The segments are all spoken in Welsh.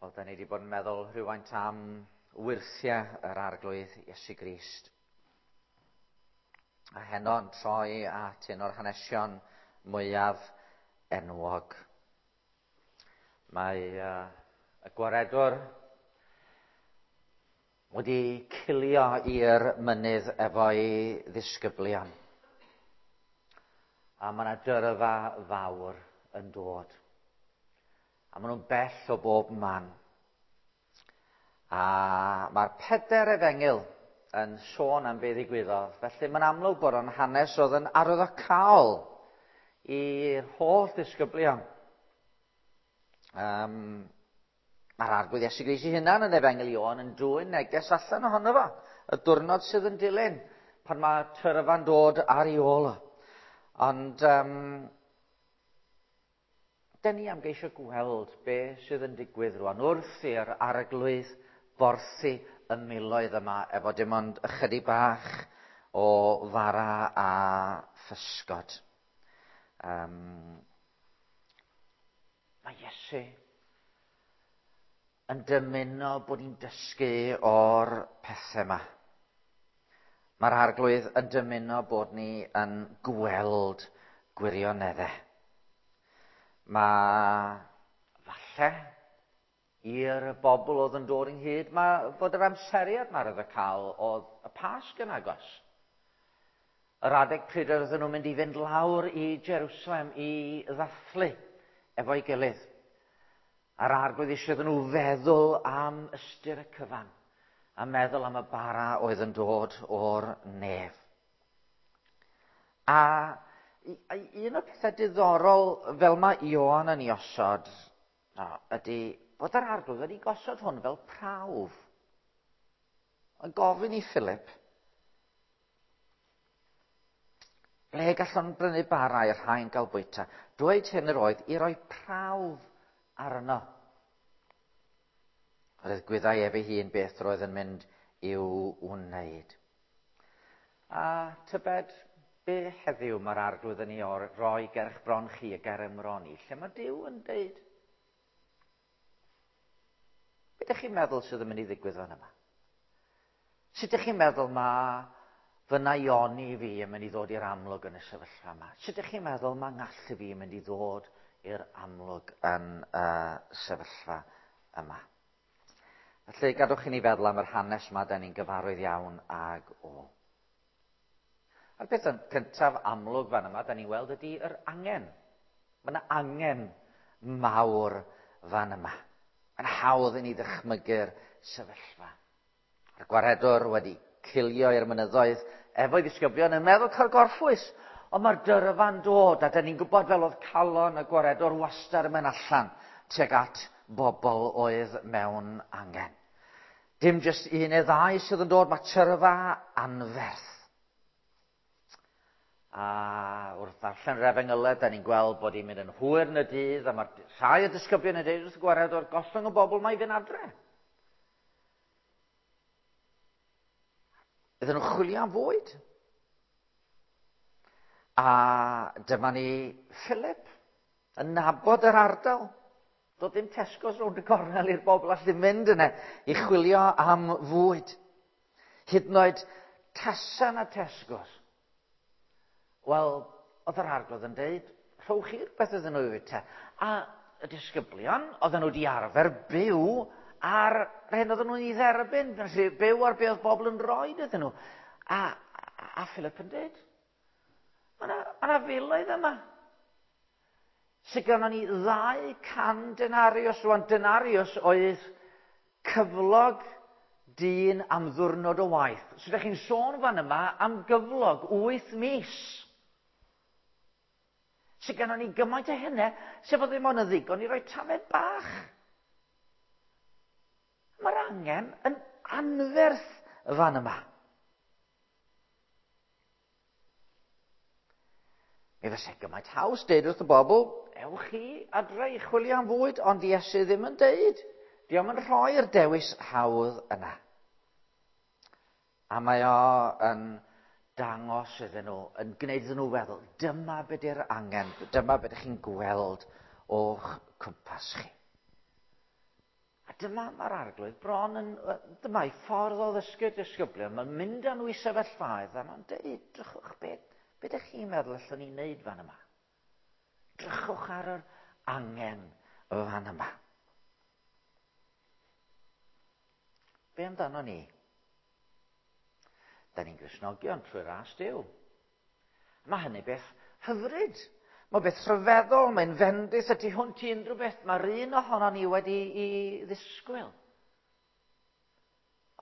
Wel, da ni wedi bod yn meddwl rhywfaint am wyrthiau yr Arglwydd Iesu Grist. A heno yn troi at un o'r hanesion mwyaf enwog. Mae y gwaredwr wedi cilio i'r mynydd efo'i ddisgyblion. A mae yna dyrfa fawr yn dod. A maen nhw'n bell o bob man. A mae'r pedair efengyl yn sôn am be ddigwyddodd. Felly mae'n amlwg bod o'n hanes oedd yn arwyddocaol i'r holl ddisgyblion. Mae'r Arglwydd Iesu Grist ei hunan yn Efengyl Ioan yn dwyn neges allan ohono fo, y diwrnod sydd yn dilyn, pan mae tyrfa'n dod ar ei ôl o. Ond dyn ni am geisio gweld be sydd yn digwydd rwan wrth i'r Arglwydd borthi y miloedd yma efo dim ond ychydig bach o fara a physgod. Mae Iesu yn dymuno bod ni'n dysgu o'r pethau yma. Mae'r Arglwydd yn dymuno bod ni yn gweld gwirioneddau. Mae falle i'r bobl oedd yn dod ynghyd, mae fod yr amseriad mae'r oedd y cael oedd y Pasg yn agos. Yr adeg pryd oedden nhw'n mynd i fynd lawr i Jerusalem i ddathlu efo'i gilydd. A'r Arglwydd eisiau iddyn nhw feddwl am ystyr y cyfan, a meddwl am y bara oedd yn dod o'r nef. A un o'r pethau diddorol fel mae Ioan yn ei osod ydy bod yr Arglwydd wedi gosod hwn fel prawf. Yn gofyn i Philip, ble gallwn brynu bara i'r rhain gael bwyta? Dweud hyn yr oedd i roi prawf arno. Roedd gwyddai ef ei hun beth roedd yn mynd i'w wneud. A tybed, be heddiw mae'r Arglwydd yn ei roi ger eich bron chi a ger ymron i, lle mae Duw yn deud? Be ydych chi'n meddwl sydd yn mynd i ddigwydd fan yma? Sut ydych chi'n meddwl mae fy naioni fi yn mynd i ddod i'r amlwg yn y sefyllfa yma? Sut ydych chi'n meddwl mae ngallu fi yn mynd i ddod i'r amlwg yn y sefyllfa yma? Felly, gadwch i ni feddwl am yr hanes yma, da ni'n gyfarwydd iawn ag o. A'r peth cyntaf amlwg fan yma, da ni'n weld ydy yr angen. Mae yna angen mawr fan yma. Mae'n hawdd i ni ddychmygu'r sefyllfa. A'r gwaredwr wedi cilio i'r mynyddoedd efo'i ddisgyblion yn meddwl cael gorffwys. Ond mae'r dyrfa'n dod, a da ni'n gwybod fel oedd calon y gwaredwr wastad yn mynd allan tuag at bobl oedd mewn angen. Dim jyst un neu ddau sydd yn dod, mae tyrfa anferth. A wrth ddarllen yr efengylau, da ni'n gweld bod hi'n mynd yn hwyr yn y dydd, a mae'r rhai o disgyblion yn dweud wrth y gwaredwr, gollwng y bobl mae i fynd adre. Iddyn nhw chwilio am fwyd. A dyma ni Philip yn nabod yr ardal. Doedd dim Tesco's rownd y gornel i'r bobl allu mynd yna i chwilio am fwyd. Hyd yn oed tasa na Tesco's. Wel, oedd yr Arglwydd yn deud, rhowch chi rhywbeth iddyn nhw i fwyta. A y disgyblion, oedden nhw wedi arfer byw ar yr hyn oedden nhw'n ei dderbyn, felly byw ar be oedd bobl yn rhoi iddyn nhw. A Philip yn deud, mae yna filoedd yma. Sy gynnon ni 200 denarius, rwan denarius oedd cyflog dyn am ddwrnod o waith. So ydych chi'n sôn fan yma am gyflog 8 mis. Sy gynnon ni gymaint o hynny, sef o ddim ond yn ddigon i roi tamed bach. Mae'r angen yn anferth fan yma. Mi fysa gymaint haws deud wrth y bobl, ewch chi adre i chwilio am fwyd, ond Iesu ddim yn deud. Dio'm yn rhoi'r dewis hawdd yna. A mae o yn dangos iddyn nhw, yn gwneud iddyn nhw feddwl, dyma be di'r angen, dyma be ydych chi'n gweld o'ch cwmpas chi. A dyma mae'r Arglwydd bron yn... Dyma'i ffordd o ddysgu'r disgyblion. Mae'n mynd â nhw i sefyllfaoedd a mae'n dweud, drychwch beth, beth ydych chi'n meddwl allwn ni wneud fan yma? Drychwch ar yr angen fan yma. Be amdano ni? Da ni'n Gristnogion trwy ras Duw. Mae hynny beth hyfryd. Mae beth rhyfeddol, mae'n fendith y tu hwnt i unrhyw beth mae'r un ohono ni wedi i ddisgwyl.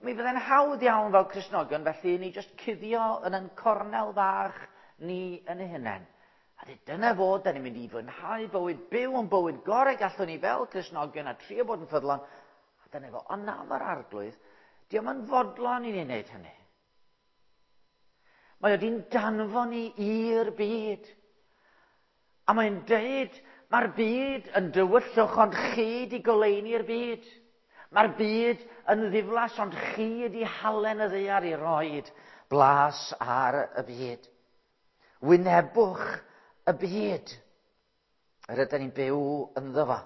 Mi fydde'n hawdd iawn fel Cristnogion felly i ni jyst cuddio yn ein cornel fach ni yn ein hunain. A dweud, dyna fod, da ni'n mynd i fwynhau bywyd, byw yn bywyd gorau gallwn ni fel Cristnogion a trio bod yn ffyddlon. A dyna fo. Ond na, mae'r Arglwydd, diolch yn fodlon i ni wneud hynny. Mae o di'n danfon ni i'r byd. A mae'n deud, mae'r byd yn dywyllwch, ond chi di goleuni'r byd. Mae'r byd yn ddiflas, ond chi ydi halen y ddaear i roed blas ar y byd. Wynebwch y byd yr ydyn ni'n byw ynddo fo.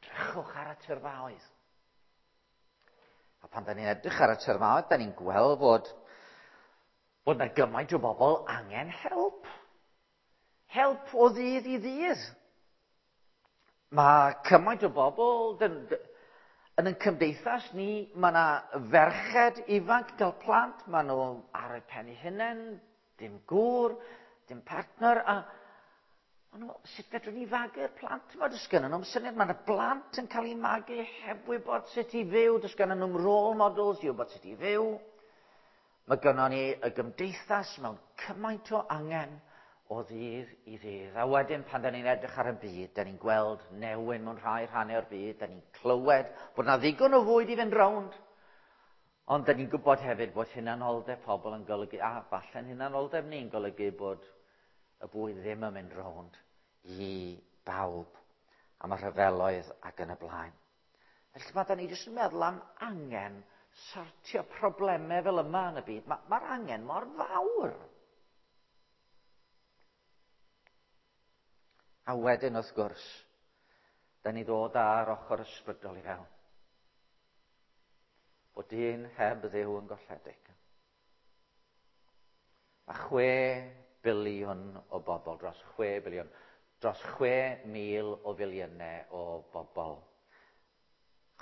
Drychwch ar y tyrfaoedd. A pan da ni'n edrych ar y tyrfaoedd, da ni'n gweld fod bod yna gymaint o bobl angen help. Help o ddydd i ddydd. Mae cymaint o bobl yn ein cymdeithas ni, mae yna ferched ifanc gael plant, maen nhw ar eu pen eu hunain, dim gŵr, dim partner, a maen nhw, sut fedrwn ni fagu'r plant yma? Does gennyn nhw'm syniad, mae yna blant yn cael eu magu heb wybod sut i fyw, does gennyn nhw'm role models i wybod sut i fyw. Mae gynnon ni y gymdeithas mewn cymaint o angen o ddydd i ddydd. A wedyn pan da ni'n edrych ar y byd, da ni'n gweld newyn mewn rhai rhannau o'r byd, da ni'n clywed bod na ddigon o fwyd i fynd rownd. Ond da ni'n gwybod hefyd bod hunanoldeb pobl yn golygu, a falle'n hunanoldeb ni'n golygu bod y bwyd ddim yn mynd rownd i bawb am y rhyfeloedd ac yn y blaen. Felly mae da ni jyst yn meddwl am angen sortio problemau fel yma yn y byd. Mae'r ma angen mor fawr. A wedyn, wrth gwrs, da ni ddod ar ochr ysbrydol i fewn. Bod dyn heb Dduw yn golledig. Mae 6 biliwn o bobl, dros 6 biliwn, dros 6,000 o filiynau o bobl.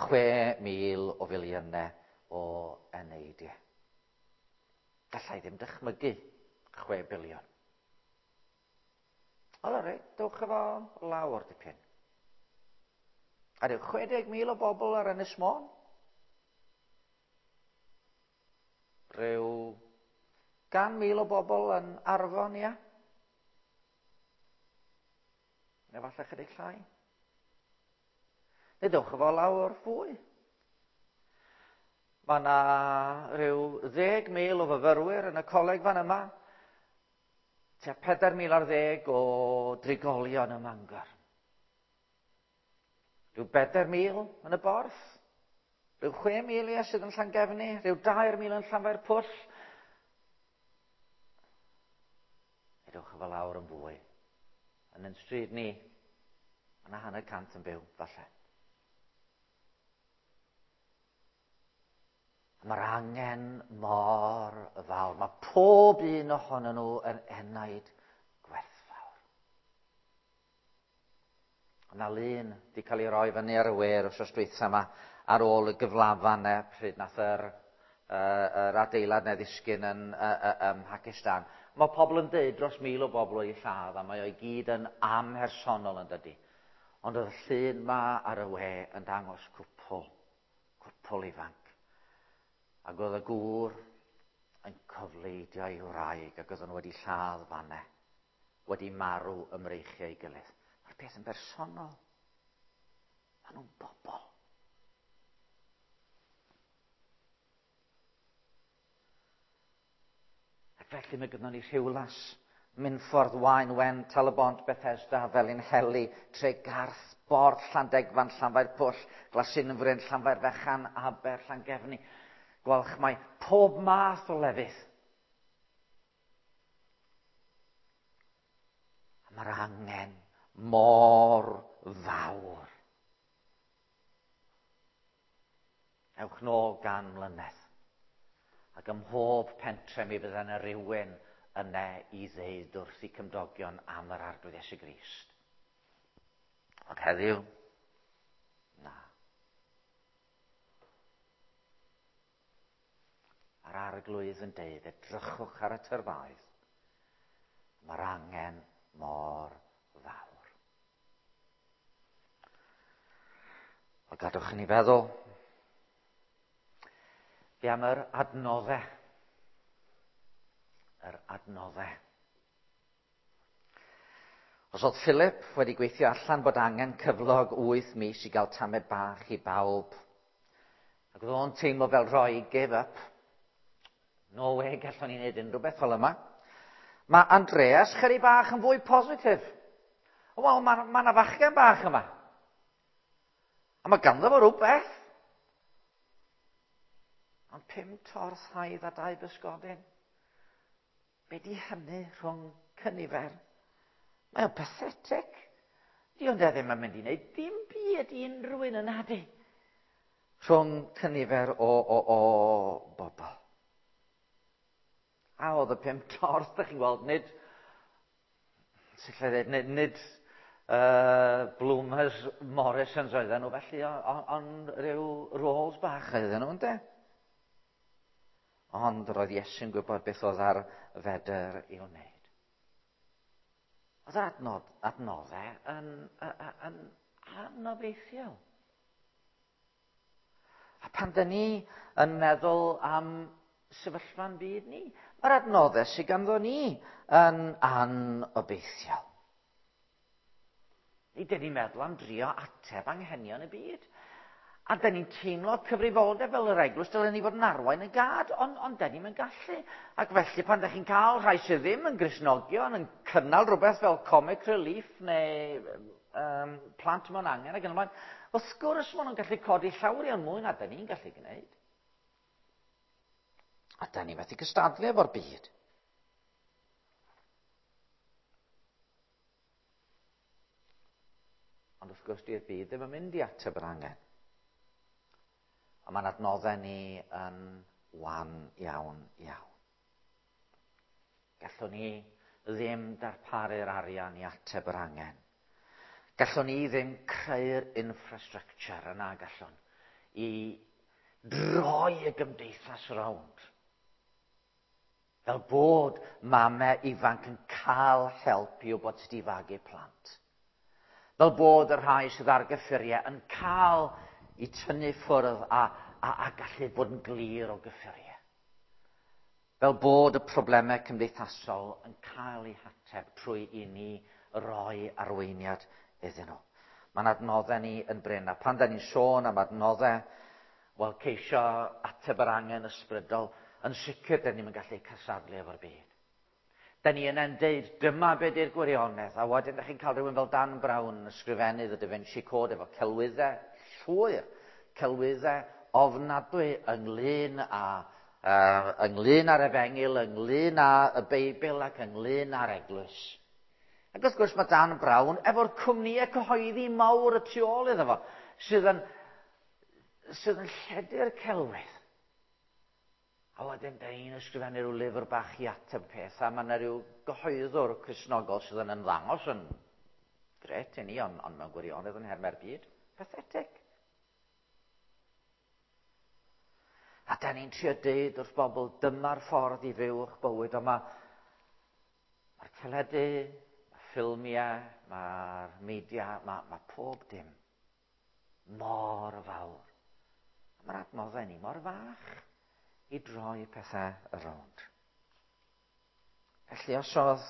6,000 o filiynau o eneidiau. Gallai ddim dychmygu 6 biliwn. O, reit, dewch efo lawr dipyn. A ryw 60,000 o bobl ar Ynys Môn. Rhyw 100,000 o bobl yn Arfon, ia? Neu falle chydig llai. Neu dewch efo lawr fwy. Mae yna rhyw 10,000 o fyfyrwyr yn y coleg fan yma. Tua 4,000 o drigolion ym Mangor. Rhyw 4,000 yn y Borth. Rhyw 6,000 ia sydd yn Llangefni. Rhyw 2,000 yn Llanfairpwll. Edwch efo lawr yn fwy. Yn ein stryd ni, mae yna 150 yn byw, falle. A mae'r angen mor fawr. Mae pob un ohonyn nhw yn enaid gwerthfawr. Yna lun wedi cael ei roi fyny ar y we yr wythnos dwytha yma ar ôl y gyflafan e, pryd nath yr, yr adeilad neu ddisgyn yn ym Mhakistan. Mae pobl yn dweud dros 1,000 o bobl o'i lladd, a mae o'i gyd yn amhersonol yn dydy. Ond oedd y llun ma ar y we yn dangos cwpl, cwpl ifanc. Ac oedd y gŵr yn cofleidio ei wraig ac oedden nhw wedi lladd fanne, wedi marw ym mreichiau ei gilydd. Mae'r peth yn bersonol. Maen nhw'n bobl. Ac felly mae gynnon ni Rhiwlas, Minffordd, Waun Wen, Tal-y-bont, Bethesda, Felinheli, Tregarth, Borth, Llandegfan, Llanfairpwll, Glasinfryn, Llanfairfechan, Aber, Llangefni, Gwalchmai, pob math o lefydd. A mae'r angen mor fawr. Ewch nôl 100 mlynedd. Ac ym mhob pentre mi fydda yna rhywun yna i ddeud wrth eu cymdogion am yr Arglwydd Iesu Grist. Ond heddiw, na. A'r Arglwydd yn deud, edrychwch ar y tyrfaoedd. Mae'r angen mor fawr. O gadwch i ni feddwl, be am yr adnoddau? Yr adnoddau. Os oedd Philip wedi gweithio allan bod angen cyflog 8 mis i gael tamed bach i bawb, ac oedd o'n teimlo fel rhoi give up, no way gallwn ni wneud unrhyw beth fel yma. Mae Andreas chydig bach yn fwy positif. Wel, mae 'na fachgen bach yma. A mae ganddo fo rhywbeth. Ond 5 torth haidd a 2 bysgodyn. Be di hynny rhwng cynifer? Mae o'n pathetic. Di ond e ddim yn mynd i wneud dim byd i unrhyw un yna di. Rhwng cynifer o bobl. A oedd y 5 torth, da chi'n gweld, nid, sut allai ddweud, nid Bloomers Morrisons oedden nhw felly, ond rhyw rolls bach oedden nhw, ynde? Ond roedd Iesu'n gwybod beth oedd ar fedr i'w wneud. Oedd yr adnoddau yn anobeithiol. A pan dyn ni yn meddwl am sefyllfa'n byd ni, mae'r adnoddau sydd ganddo ni yn anobeithiol. Ni dyn ni'n meddwl am drio ateb anghenion y byd. A dyn ni'n teimlo cyfrifoldeb fel yr eglwys, dylen ni fod yn arwain y gad, ond dyn ni'n gallu. Ac felly pan ydych chi'n cael rhai sydd ddim yn Gristnogion yn cynnal rhywbeth fel Comic Relief neu Plant Mewn Angen ac yn y blaen, wrth gwrs maen nhw'n gallu codi llawer iawn mwy na dyn ni'n gallu gwneud. A dyn ni methu cystadlu efo'r byd. Ond wrth gwrs, di'r byd ddim yn mynd i ateb yr angen. A mae'n adnoddau ni yn wan iawn, iawn. Gallwn ni ddim darparu'r arian i ateb yr angen. Gallwn ni ddim creu'r infrastructure yna, gallwn, i droi y gymdeithas rownd. Fel bod mamau ifanc yn cael help i wybod sut i fagu plant. Fel bod y rhai sydd ar gyffuriau yn cael i tynnu ffwrdd a gallu bod yn glir o gyffuriau. Fel bod y problemau cymdeithasol yn cael eu hateb trwy i ni roi arweiniad iddyn nhw. Mae'n adnoddau ni yn brin, a pan da ni'n sôn am adnoddau, wel, ceisio ateb yr angen ysbrydol, yn sicr da ni'n gallu cystadlu efo'r byd. Da ni yna'n deud, dyma be di'r gwirionedd, a wedyn da chi'n cael rhywun fel Dan Brown yn ysgrifennu The Da Vinci Code efo celwyddau llwyr, celwyddau ofnadwy ynglyn â'r efengyl, ynglyn â y Beibl ac ynglyn â'r eglwys. Ac wrth gwrs mae Dan Brown efo'r cwmnïau cyhoeddi mawr y tu ôl iddo fo, sydd yn lledu'r celwydd. A wedyn, da ni'n ysgrifennu rhyw lyfr bach i ateb peth, a mae yna rhyw gyhoeddwr Cristnogol sydd yn ymddangos yn gret i ni, ond mewn gwirionedd yn hermau'r byd. Pathetic. A da ni'n trio deud wrth bobl, dyma'r ffordd i fyw eich bywyd, ond mae'r teledu, mae'r ffilmiau, mae'r media, mae pob dim mor fawr. A mae'r adnoddau ni mor fach i droi pethau rownd. Felly os oedd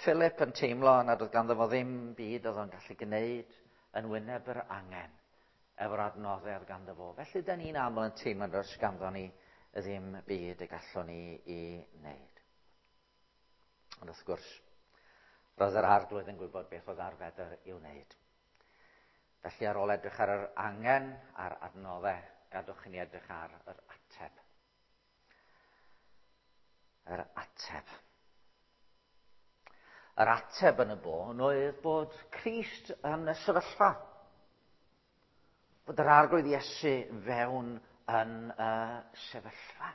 Philip yn teimlo nad oedd ganddo fo ddim byd oedd o'n gallu gwneud yn wyneb yr angen efo'r adnoddau oedd ganddo fo. Felly da ni'n aml yn teimlo nad oes ganddo ni ddim byd y gallwn ni i wneud. Ond wrth gwrs, roedd yr Arglwydd yn gwybod beth oedd ar fedr i'w wneud. Felly ar ôl edrych ar yr angen a'r adnoddau, gadwch i ni edrych ar yr ateb. Yr ateb. Yr ateb yn y bôn oedd bod Crist yn y sefyllfa. Bod yr Arglwydd Iesu fewn yn y sefyllfa.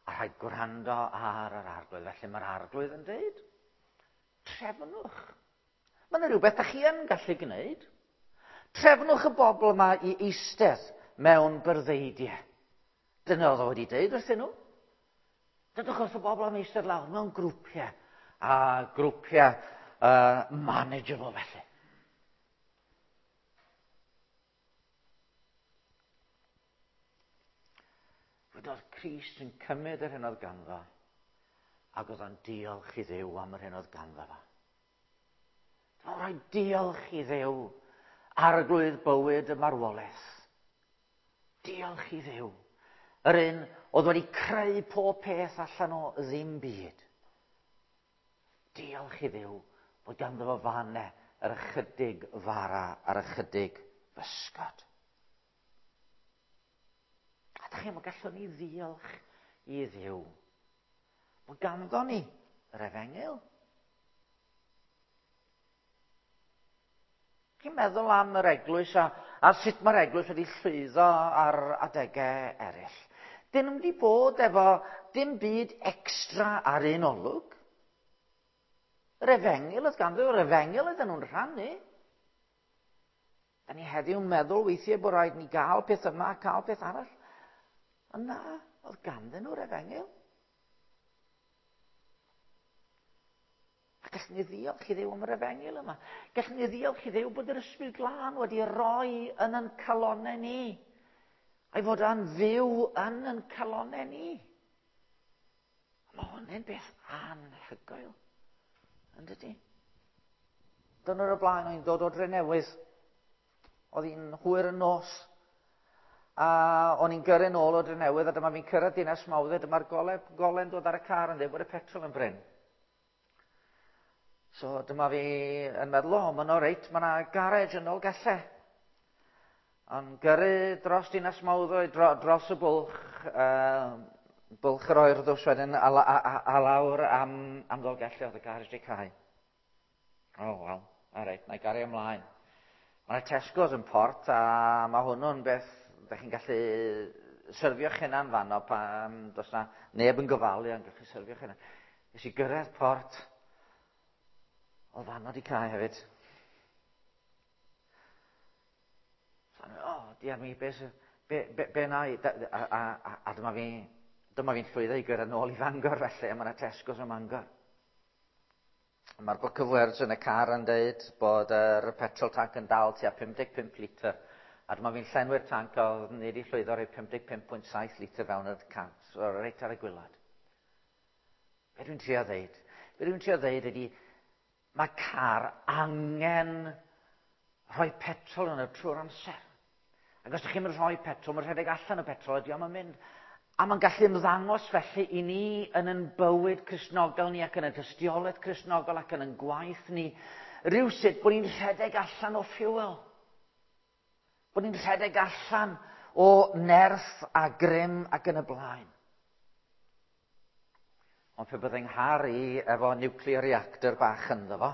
A rhaid gwrando ar yr arglwydd. Felly mae'r arglwydd yn dweud, trefnwch. Mae yna rhywbeth da chi yn gallu gwneud. Trefnwch y bobl yma i eistedd mewn byrddeidiau. Dyna oedd o wedi dweud wrthyn nhw. Dydwch wrth y bobl am eistedd lawr mewn grwpiau, a grwpiau manageable felly. Fod oedd Crist yn cymryd yr hyn oedd ganddo, ac oedd o'n diolch i Dduw am yr hyn oedd ganddo fo. Mae'n rhaid diolch i Dduw, arglwydd bywyd y marwolaeth. Diolch i Dduw. Yr un oedd wedi creu pob peth allan o ddim byd. Diolch i Dduw bod ganddo fo fanne yr ychydig fara a'r ychydig bysgod. A da chi'n gallwn ni ddiolch i Dduw bod ganddo ni yr efengyl. Chi'n meddwl am yr eglwys a, a sut mae'r eglwys wedi llwyddo ar adegau eraill. Dyn nhw'n wedi bod efo dim byd extra ar un olwg. Yr efengyl oedd ganddo, yr efengyl oedden nhw'n rhannu. Da ni heddiw'n meddwl weithiau bod rhaid ni gael peth yma a cael peth arall. Ond na, oedd ganddyn nhw'r efengyl. A gallwn ni ddiolch i Dduw am yr efengyl yma. Gallwn ni ddiolch i Dduw bod yr Ysbryd Glân wedi rhoi yn yn calonau ni. A'i fod yn fyw yn yn calonau ni. Mae hwn yn beth anhygoel, yn dydy? Dyna'r y blaen o'n i'n dod o Drenewydd. Oedd hi'n hwyr yn nos. A o'n i'n gyrru nôl o Drenewydd a dyma fi'n cyrraedd Dinas Mawddwy, dyma'r gole, gole'n dod ar y car yn dweud bod y petrol yn brin. So dyma fi yn meddwl, o, mae'n o reit, mae yna garej yn ôl gellau. Ond gyrru dros Dinas Mawddwy, dro, dros y bwlch, bwlch yr oerddws wedyn, a, a, a, a lawr am, am Ddolgellau, oedd y garej di cau. O, oh, wel, a reit, na i gario ymlaen. Mae Tesco's yn port a mae hwnnw'n beth ydych chi'n gallu syrfio'ch hunan fanno pan does na neb yn gofalu ond gallu syrfio'ch hunan. Nes i gyrraedd port, oedd fanno di cael hefyd. So, o, oh, diar mi, be, be, be, be na i? A, a, a, a dyma fi, dyma fi'n llwyddo i gyrraedd nôl i Fangor felly, a mae yna Tesco's ym Mangor. Mae'r book of words yn y car yn dweud bod yr petrol tank yn dal tua 55 litr. A dyma fi'n llenwi'r tank oedd ni wedi llwyddo rhoi 55.7 litr fewn yr cant. So, reit ar y gwylod. Be dwi'n trio ddeud? Be dwi'n trio ddeud ydy, mae car angen rhoi petrol yn y trwy'r amser. Ac os ydych chi'n rhoi petrol, mae'n rhedeg allan o petrol, ydy o'n mynd. A mae'n gallu ymddangos felly i ni yn yn bywyd Cristnogol ni ac yn y tystiolaeth Cristnogol ac yn yn gwaith ni, rhywsut bod ni'n rhedeg allan o fuel. Bod ni'n rhedeg allan o nerth a grym ac yn y blaen. Ond pe byddai'n nghar i efo nuclear reactor bach ynddo fo,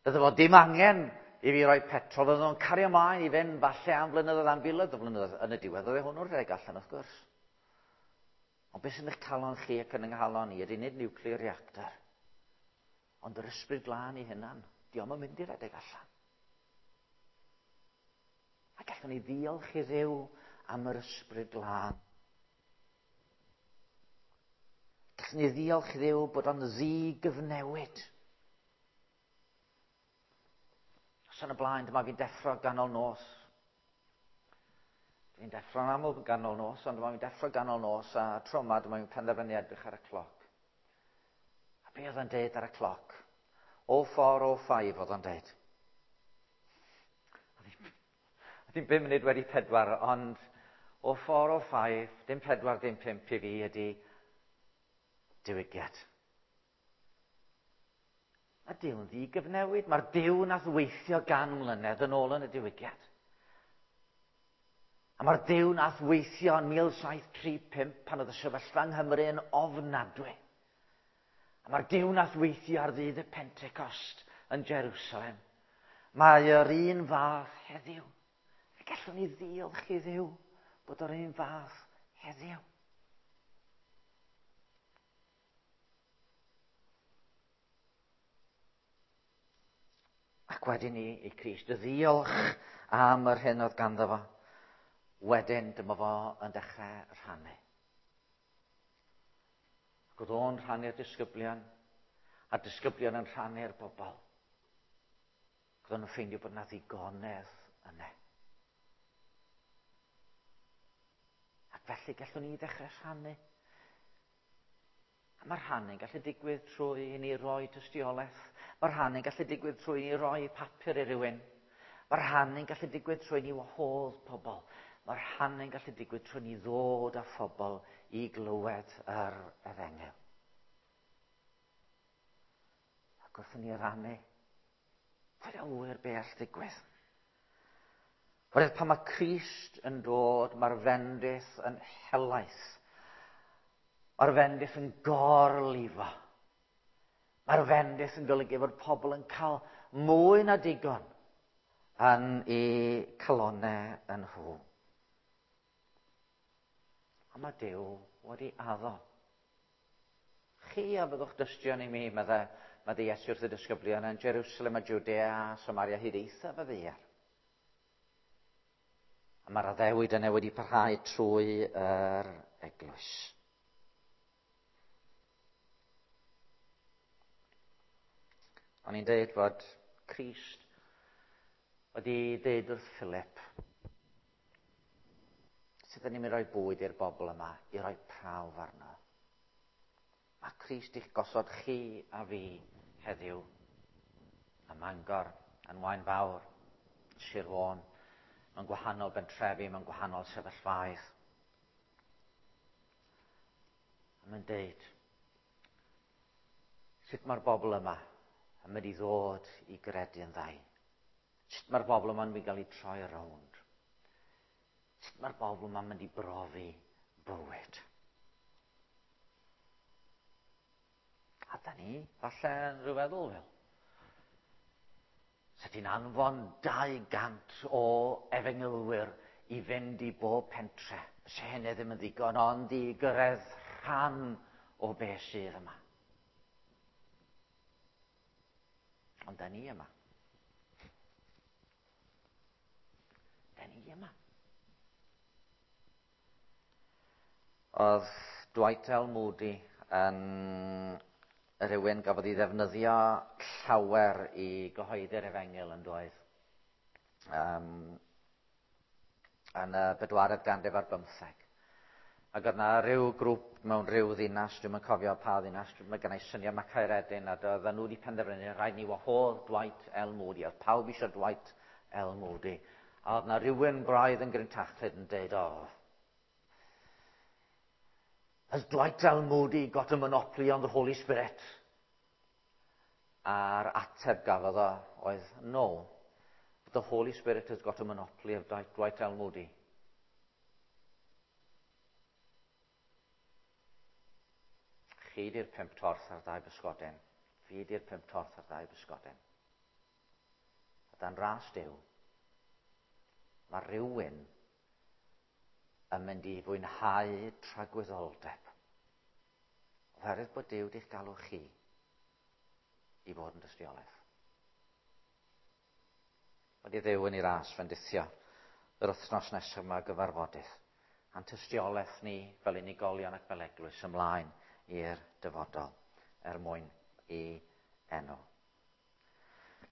bydde fo dim angen i fi roi petrol, bydde fo'n cario ymlaen i fynd falle am flynyddoedd, am filoedd o flynyddoedd. Yn y diwedd, oedd hwnnw'n rhedeg allan, wrth gwrs. Ond beth sy'n eich calon chi ac yn yng nghalon i ydy nid nuclear reactor, ond yr ysbryd glân i hunan. Diolch yn mynd i redeg allan. A gallwn ni ddiolch i Dduw am yr ysbryd glân. Gallwn ni ddiolch i Dduw bod o'n ddi-gyfnewid. Os yn y blaen, dyma fi'n deffro ganol nos. Dwi'n deffro'n aml ganol nos, ond dyma fi'n deffro ganol nos, a tro yma dyma fi'n penderfynu edrych ar y cloc. A be oedd o'n deud ar y cloc? 04:05 oedd o'n deud. Oedd hi'n 4:05, ond 04:05, dim 4, dim 5 i fi ydy diwygiad. Mae Duw'n ddigyfnewid. Mae'r Duw nath weithio gan mlynedd yn ôl yn y diwygiad. A mae'r Duw nath weithio yn 1735 pan oedd y sefyllfa yng Nghymru yn ofnadwy. A mae'r Duw nath weithio ar ddydd y Pentecost yn Jerusalem. Mae yr un fath heddiw. Fe gallwn ni ddiolch i Dduw bod yr un fath heddiw. Ac wedyn i Crist ddiolch am yr hyn oedd ganddo fo. Wedyn dyma fo yn dechrau rhannu. Ac oedd o'n rhannu'r disgyblion, a'r disgyblion yn rhannu'r bobl. Ac oedden nhw'n ffeindio bod yna ddigonedd yna. Ac felly gallwn ni ddechrau rhannu. A mae rhannu'n gallu digwydd trwy i ni roi tystiolaeth. Mae rhannu'n gallu digwydd trwy i ni roi papur i rywun. Mae rhannu'n gallu digwydd trwy i ni wahodd pobl. Mae rhannu'n gallu digwydd trwy ni ddod â phobl i glywed yr efengyl. Ac wrth i ni rannu, pwy a ŵyr be all ddigwydd? Oherwydd pan mae Crist yn dod, mae'r fendith yn helaeth. Mae'r fendith yn gorlifo. Mae'r fendith yn golygu fod pobl yn cael mwy na digon yn eu calonnau yn nhw. A mae Duw wedi addo. Chi a fyddwch dystion i mi, meddai Iesu wrth y disgyblion yn Jerusalem a Judea a Samaria hyd eithaf y ddaear. A mae'r addewid yna wedi parhau trwy yr eglwys. O'n i'n deud fod Crist wedi deud wrth Philip, sut ydyn ni'n mynd i roi bwyd i'r bobl yma, i roi prawf arno. Mae Crist i'ch gosod chi a fi heddiw ym Mangor, yn Waun Fawr, Sir Fôn, mewn gwahanol bentrefi, mewn gwahanol sefyllfaoedd. A mae'n deud, sut mae'r bobl yma yn mynd i ddod i gredu yn ddau? Sut mae'r bobl yma'n mynd i gael eu troi rownd? Sut mae'r bobl yma'n mynd i brofi bywyd? A da ni, falle, yn rhyw feddwl fel, sa ti'n anfon 200 o efengylwyr i fynd i bob pentre. Se hynny ddim yn ddigon, ond i gyrraedd rhan o beth sydd yma. Ond da ni yma. Da ni yma. Oedd Dwight L. Moody yn rhywun gafodd ei ddefnyddio llawer i gyhoeddi'r efengyl yn doedd. Yn y bedwaredd ganrif ar bymtheg. Ac oedd yna rhyw grŵp mewn rhyw ddinas, dwi'm yn cofio pa ddinas, mae gen i syniad mae Caeredin, a doedden nhw wedi penderfynu, rhaid ni wahodd Dwight L. Moody. Oedd pawb eisiau Dwight L. Moody. A oedd yna rhywun braidd yn grintachlyd yn deud, oh, has Dwight L. Moody got a monopoly on the Holy Spirit? A'r ateb gafodd o oedd, no, but the Holy Spirit has got a monopoly of Dwight L. Moody. Chi di'r 5 torth a'r 2 bysgodyn. Fi di'r 5 torth a'r 2 bysgodyn. A dan ras Duw, mae rhywun yn mynd i fwynhau tragwyddoldeb. Oherwydd bod Duw di'ch galw chi i fod yn dystiolaeth. Wedi Dduw yn ei ras fendithio yr wythnos nesaf yma gyfarfodydd. A'n tystiolaeth ni fel unigolion ac fel eglwys ymlaen i'r dyfodol er mwyn i enw.